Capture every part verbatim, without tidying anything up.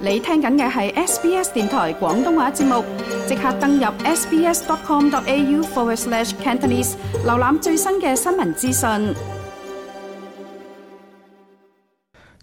你聽緊嘅係 S B S 電台廣東話節目，即刻登入 sbs.com.au forward slash Cantonese， 瀏覽最新嘅新聞資訊。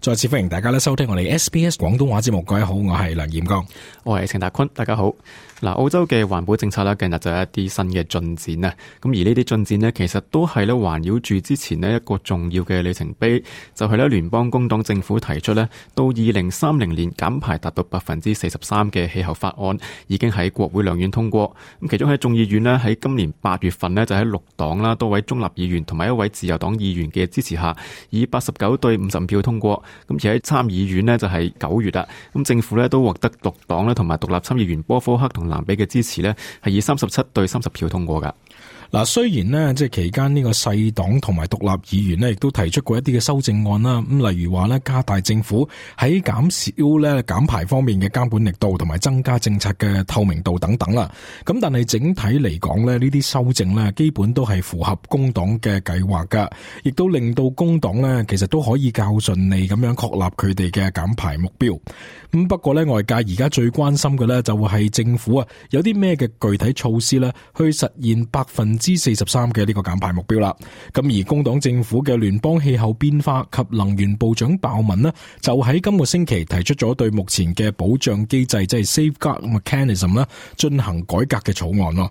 再次歡迎大家咧收聽我哋 S B S 廣東話節目。各位好，我係梁彥剛，我係程達坤，大家好。嗱，澳洲嘅環保政策咧，近日就有一啲新嘅進展啊。咁而呢啲進展呢，其實都係咧環繞住之前呢一個重要嘅里程碑，就係咧聯邦工黨政府提出咧到二零三零年減排達到百分之四十三嘅氣候法案，已經喺國會兩院通過。咁其中喺眾議院呢，喺今年八月份呢，就喺綠黨啦多位中立議員同埋一位自由黨議員嘅支持下，以八十九對五十五票通過。咁而喺參議院呢，就係九月啦，咁政府咧都獲得綠黨咧同埋獨立參議員波科克同蘭比嘅支持咧，係以三十七對三十票通過噶。嗱，雖然呢，即係期間呢個細黨同埋獨立議員呢，亦都提出過一啲嘅修正案啦。咁例如話呢，加大政府喺減少咧減排方面嘅監管力度，同埋增加政策嘅透明度等等啦。咁但係整體嚟講呢，呢啲修正呢，基本都係符合工黨嘅計劃噶，亦都令到工黨呢，其實都可以較順利咁樣確立佢哋嘅減排目標。咁不過呢，外界而家最關心嘅呢，就係政府啊有啲咩嘅具體措施呢，去實現百分之四十三嘅呢個減排目標啦。咁而工黨政府嘅聯邦氣候變化及能源部長鮑文呢，就喺今個星期提出咗對目前嘅保障機制，即係 Safeguard Mechanism 啦，進行改革嘅草案咯。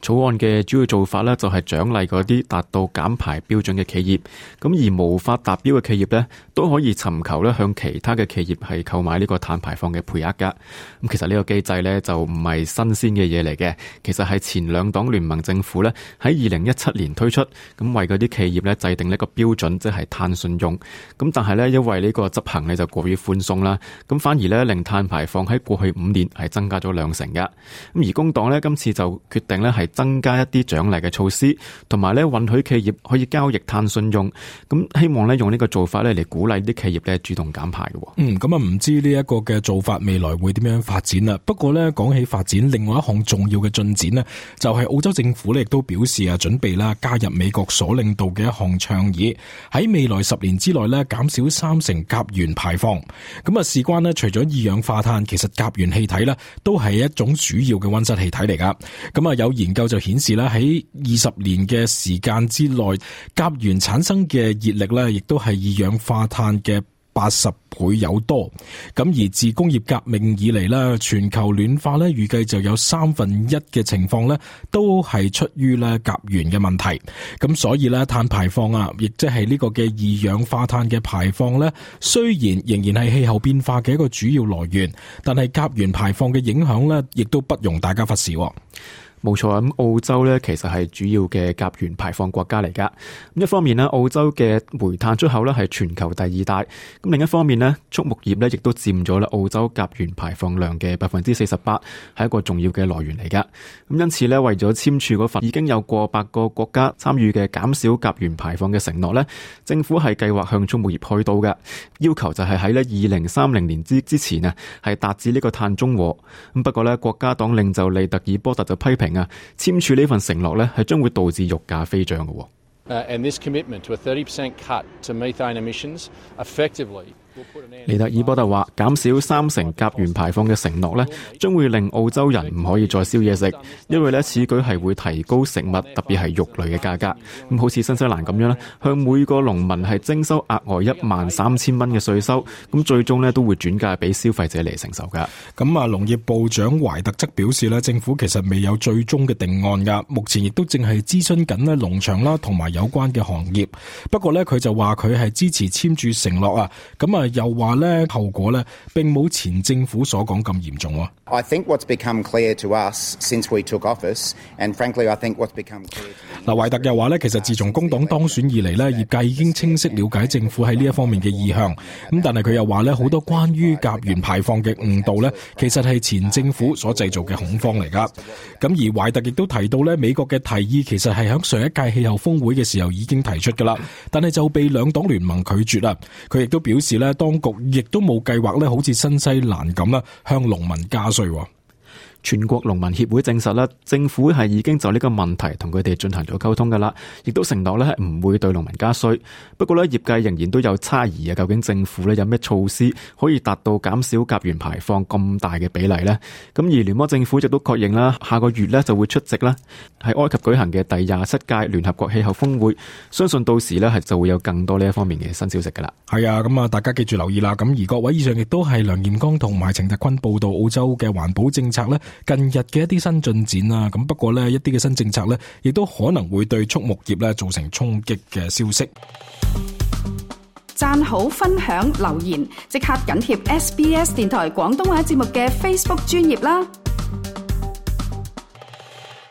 草案嘅主要做法呢，就係獎勵嗰啲達到減排標準嘅企業，咁而無法達標嘅企業呢，都可以尋求呢向其他嘅企業係購買呢個碳排放嘅配額噶。咁其實呢個機制呢，就唔係新鮮嘅嘢嚟嘅，其實係前兩黨聯盟政府呢，喺二零一七年推出，咁為嗰啲企業呢制定呢個標準，即係碳信用。咁但係呢，因為呢個執行呢就過於寬鬆啦，咁反而呢令碳排放喺過去五年係增加咗兩成噶。咁而工黨呢，今次就決定呢係增加一啲獎勵嘅措施，同埋咧允許企業可以交易碳信用，咁希望咧用呢個做法咧嚟鼓勵啲企業咧主動減排嘅。嗯，咁啊唔知呢一個嘅做法未來會點樣發展啦？不過咧講起發展，另外一項重要嘅進展呢，就係澳洲政府咧亦都表示啊準備啦加入美國所領導嘅一項倡議，喺未來十年之內咧減少三成甲烷排放。咁啊事關呢，除咗二氧化碳，其實甲烷氣體呢都係一種主要嘅溫室氣體嚟噶。咁啊有研究就顯示咧喺二十年嘅時間之內，甲烷產生嘅熱力咧，亦都係二氧化碳嘅八十倍有多。咁而自工業革命以嚟咧，全球暖化咧，預計就有三分一嘅情況咧，都係出於咧甲烷嘅問題。咁所以咧，碳排放啊，亦即係呢個嘅二氧化碳嘅排放咧，雖然仍然係氣候變化嘅一個主要來源，但係甲烷排放嘅影響咧，亦都不容大家忽視。冇錯，咁澳洲咧其實係主要嘅甲烷排放國家嚟噶。咁一方面呢，澳洲嘅煤炭出口咧係全球第二大。咁另一方面呢，畜牧業咧亦都佔咗啦澳洲甲烷排放量嘅百分之四十八，係一個重要嘅來源嚟噶。咁因此咧，為咗簽署嗰份已經有過百個國家參與嘅減少甲烷排放嘅承諾咧，政府係計劃向畜牧業開刀嘅，要求就係喺咧二零三零年之之前啊，係達至呢個碳中和。咁不過咧，國家黨領袖利特爾波特就批評啊，簽署呢份承諾咧，係將會導致肉價飛漲嘅。Uh, and this commitment to a thirty percent cut to methane emissions effectively利特爾波特話，減少三成甲烷排放嘅承諾呢，將會令澳洲人唔可以再燒嘢食，因為呢此舉係會提高食物，特別係肉類嘅價格。咁好似新西蘭咁樣呢，向每個農民係徵收額外一萬三千蚊嘅稅收，咁最終呢都會轉嫁俾消費者嚟承受噶。咁啊，農業部長懷特則表示呢，政府其實未有最終嘅定案噶，目前亦都正係諮詢緊呢農場啦同埋有關嘅行業。不過呢，佢就話佢係支持簽署承諾啊，咁啊。又話咧後果咧並冇前政府所講咁嚴重喎。I think what's become clear to us since we took office, and frankly, I think what's become clear. 嗱，懷特又話咧，其實自從工黨當選以嚟咧，業界已經清晰了解政府喺呢一方面嘅意向。咁但係佢又話咧，好多關於甲烷排放嘅誤導咧，其實係前政府所製造嘅恐慌嚟噶。咁而懷特亦都提到咧，美國嘅提議其實係喺上一屆氣候峰會嘅時候已經提出噶啦，但係就被兩黨聯盟拒絕啦。佢亦都表示咧，當局亦都冇計劃咧，好似新西蘭咁啦，向農民加稅。全國農民協會證實啦，政府係已經就呢個問題同佢哋進行咗溝通噶啦，亦都承諾咧係唔會對農民加稅。不過咧，業界仍然都有猜疑啊，究竟政府咧有咩措施可以達到減少甲烷排放咁大嘅比例呢？咁而聯邦政府亦都確認啦，下個月咧就會出席啦喺埃及舉行嘅第廿七屆聯合國氣候峰會，相信到時咧係就會有更多呢一方面嘅新消息噶啦。係啊，咁啊，大家記住留意啦。咁而各位以上亦都係梁彥剛同埋程達坤報道澳洲嘅環保政策咧近日嘅一啲新進展啦。咁不過呢，一啲嘅新政策咧亦都可能會對畜牧業咧造成衝擊嘅消息。讚好、分享、留言，即刻緊貼 S B S 電台廣東話節目嘅 Facebook 專頁啦。